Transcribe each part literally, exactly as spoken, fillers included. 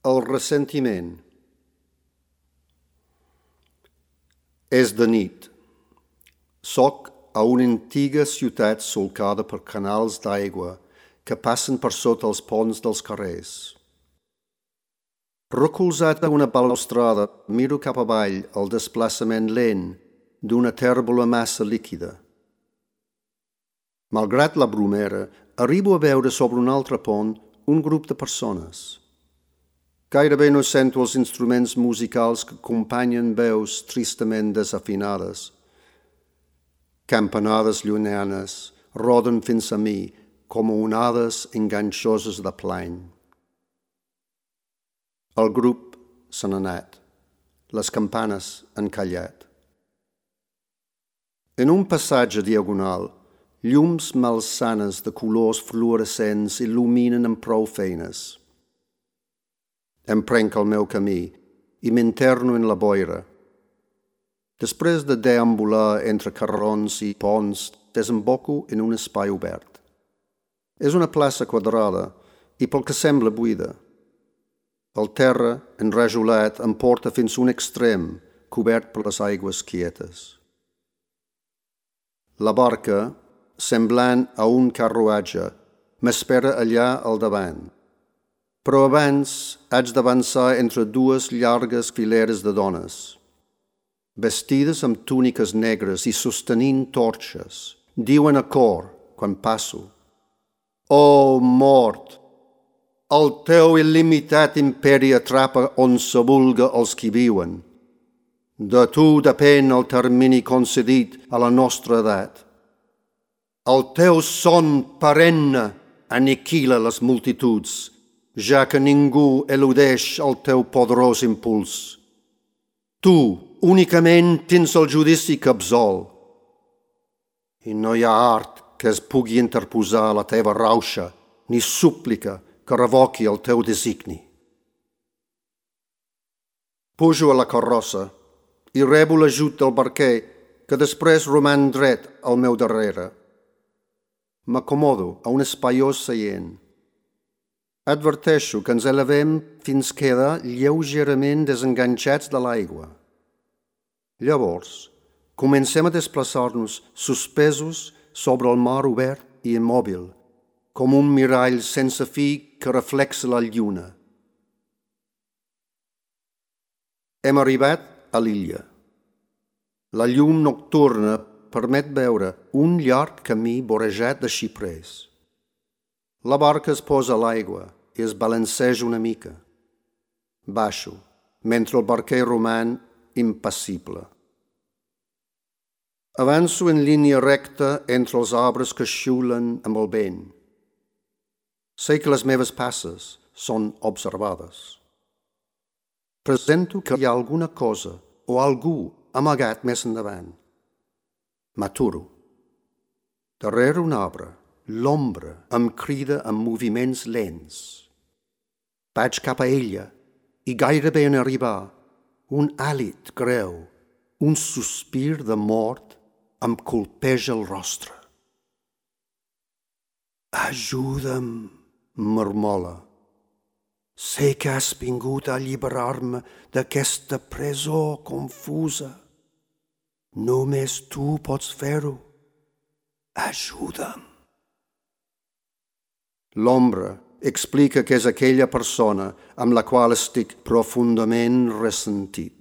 El ressentiment. És de nit. Soc a una antiga ciutat solcada per canals d'aigua que passen per sota els ponts dels carrers. Recolzat a una balustrada, miro cap avall el desplaçament lent d'una tèrbola massa líquida. Malgrat la brumera, arribo a veure sobre un altre pont un grup de persones. Gairebé no sento els instruments musicals que acompanyen veus tristament desafinades. Campanades llunyanes roden fins a mi com onades enganxoses de plany. El grup se n'ha anat. Les campanes han callat. En un passatge diagonal, llums malsanes de colors fluorescents il·luminen amb prou feines. Em prenc el meu camí i m'interno en la boira. Després de deambular entre carrerons i ponts, desemboco en un espai obert. És una plaça quadrada i pel que sembla buida. El terra, enrajolat, em porta fins a un extrem cobert per les aigües quietes. La barca, semblant a un carruatge, m'espera allà al davant. Però abans haig d'avançar entre dues llargues fileres de dones. Vestides amb túniques negres i sostenint torxes, diuen a cor quan passo: «Oh, mort! El teu il·limitat imperi atrapa on se vulga els qui viuen. De tu depèn el termini concedit a la nostra edat. El teu son perenne aniquila les multituds, ja que ningú eludeix el teu poderós impuls. Tu únicament tens el judici que absol. I no hi ha art que es pugui interposar a la teva rauxa, ni súplica que revoqui el teu designi. Pujo a la carrossa i rebo l'ajut del barquer, que després roman dret al meu darrere. M'acomodo a un espaiós seient. Adverteixo que ens elevem fins quedar lleugerament desenganxats de l'aigua. Llavors, comencem a desplaçar-nos suspesos sobre el mar obert i immòbil, com un mirall sense fi que reflexa la lluna. Hem arribat a l'illa. La llum nocturna permet veure un llarg camí vorejat de xiprers. La barca es posa a l'aigua i es balanceja una mica. Baixo, mentre el barquer roman impassible. Avanço en línia recta entre els arbres que xiulen amb el vent. Sé que les meves passes són observades. Presento que hi ha alguna cosa o algú amagat més endavant. M'aturo. Darrere un arbre, l'ombra em crida amb moviments lents. Vaig cap a ella i gairebé en arribar, un hàlit greu, un sospir de mort em colpeja el rostre. Ajuda'm, mormola. Sé que has vingut a alliberar-me d'aquesta presó confusa. Només tu pots fer-ho. Ajuda'm. L'ombra explica que és aquella persona amb la qual estic profundament ressentit.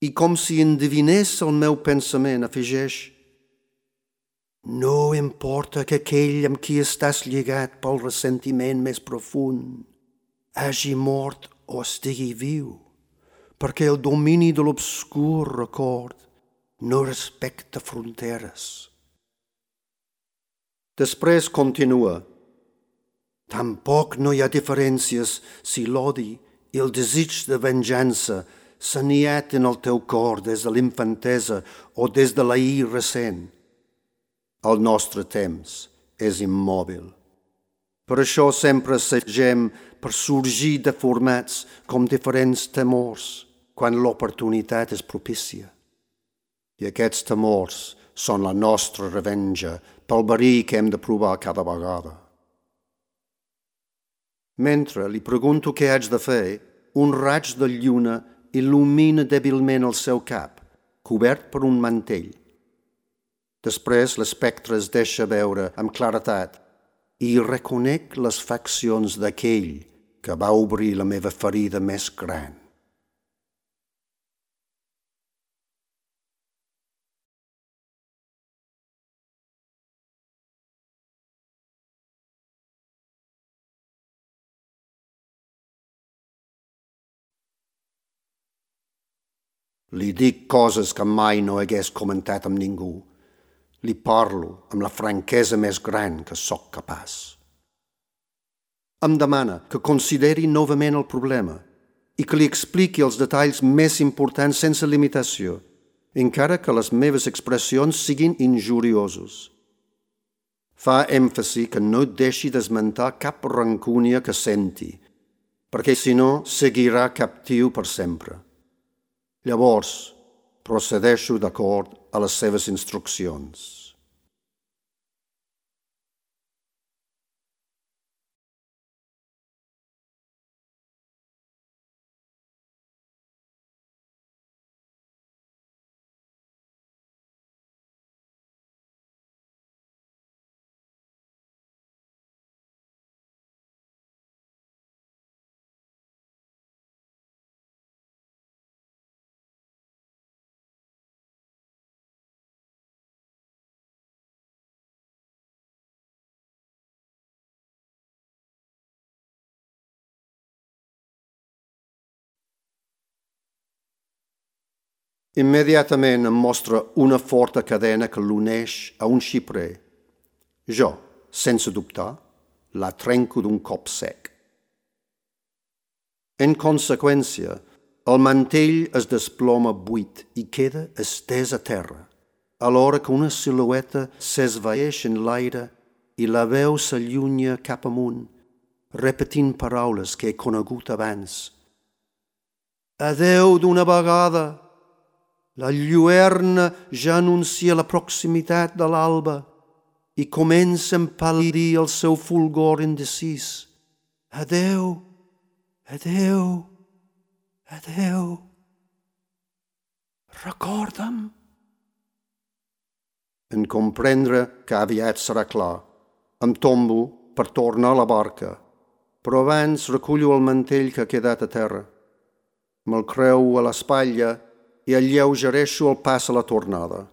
I com si endevinés el meu pensament, afegeix: no importa que aquell amb qui estàs lligat pel ressentiment més profund hagi mort o estigui viu, perquè el domini de l'obscur record no respecta fronteres Després continua. Tampoc no hi ha diferències si l'odi i el desig de venjança s'aniet en el teu cor des de l'infantesa o des de l'ahir recent. El nostre temps és immòbil. Per això sempre assagem per sorgir deformats com diferents temors quan l'oportunitat és propícia. I aquests temors són la nostra revenja pel verí que hem de provar cada vegada. Mentre li pregunto què haig de fer, un raig de lluna il·lumina dèbilment el seu cap, cobert per un mantell. Després l'espectre es deixa veure amb claretat i reconec les faccions d'aquell que va obrir la meva ferida més gran. Li dic coses que mai no hagués comentat amb ningú. Li parlo amb la franquesa més gran que sóc capaç. Em demana que consideri novament el problema i que li expliqui els detalls més importants sense limitació, encara que les meves expressions siguin injuriosos. Fa èmfasi que no deixi d'esmentar cap rancúnia que senti, perquè si no seguirà captiu per sempre. Llavors, procedeixo d'acord a les seves instruccions. Immediatament em mostra una forta cadena que l'uneix a un xiprer. Jo, sense dubtar, la trenco d'un cop sec. En conseqüència, el mantell es desploma buit i queda estès a terra, alhora que una silueta s'esvaeix en l'aire i la veu s'allunya cap amunt, repetint paraules que he conegut abans. Adeu d'una vegada! La lluerna ja anuncia la proximitat de l'alba i comença a empal·lidir el seu fulgor indecis. Adeu, adeu, adeu. Recorda'm. En comprendre que aviat serà clar, em tombo per tornar a la barca, però abans recullo el mantell que ha quedat a terra. Me'l creu a l'espatlla i alleugereixo el pas a la tornada.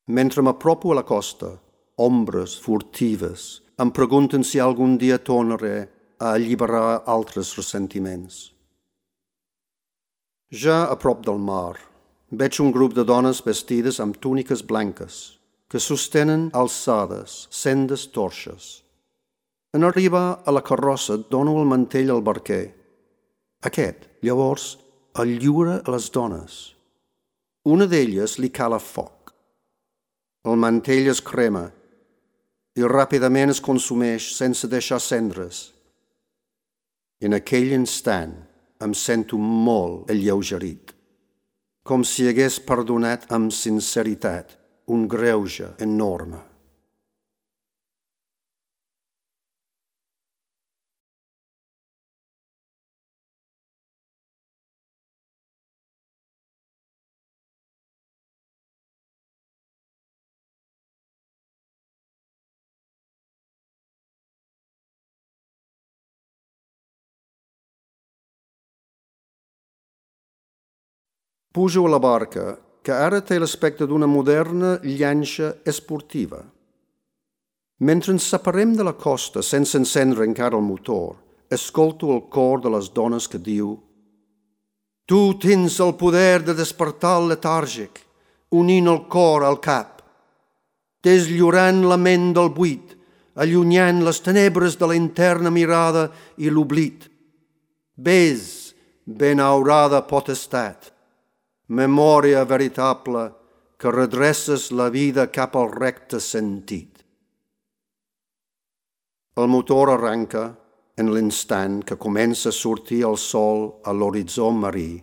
Mentre m'apropo a la costa, ombres furtives em pregunten si algun dia tornaré a alliberar altres ressentiments. Ja a prop del mar, veig un grup de dones vestides amb túniques blanques que sostenen alçades sendes torxes. En arribar a la carrossa dono el mantell al barquer. Aquest, llavors, el lliura a les dones. Una d'elles li cala foc. El mantell es crema i ràpidament es consumeix sense deixar cendres. En aquell instant em sento molt alleugerit, com si hagués perdonat amb sinceritat un greuge enorme. Pujo a la barca, que ara té l'aspecte d'una moderna llanxa esportiva. Mentre ens separem de la costa sense encendre encara el motor, escolto el cor de les dones que diu: Tu tens el poder de despertar el letàrgic, unint el cor al cap. deslliurant la ment del buit, allunyant les tenebres de la interna mirada i l'oblit. Vés, benaurada potestat, memòria veritable que redreces la vida cap al recte sentit. El motor arranca en l'instant que comença a sortir el sol a l'horitzó marí.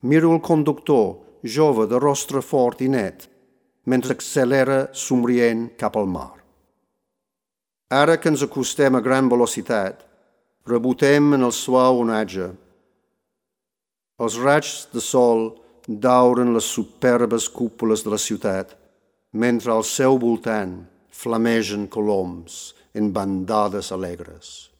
Miro el conductor, jove de rostre fort i net, mentre accelera somrient cap al mar. Ara que ens acostem a gran velocitat, rebotem en el suau onatge. Els raigs de sol dauren les superbes cúpules de la ciutat, mentre al seu voltant flamegen coloms en bandades alegres.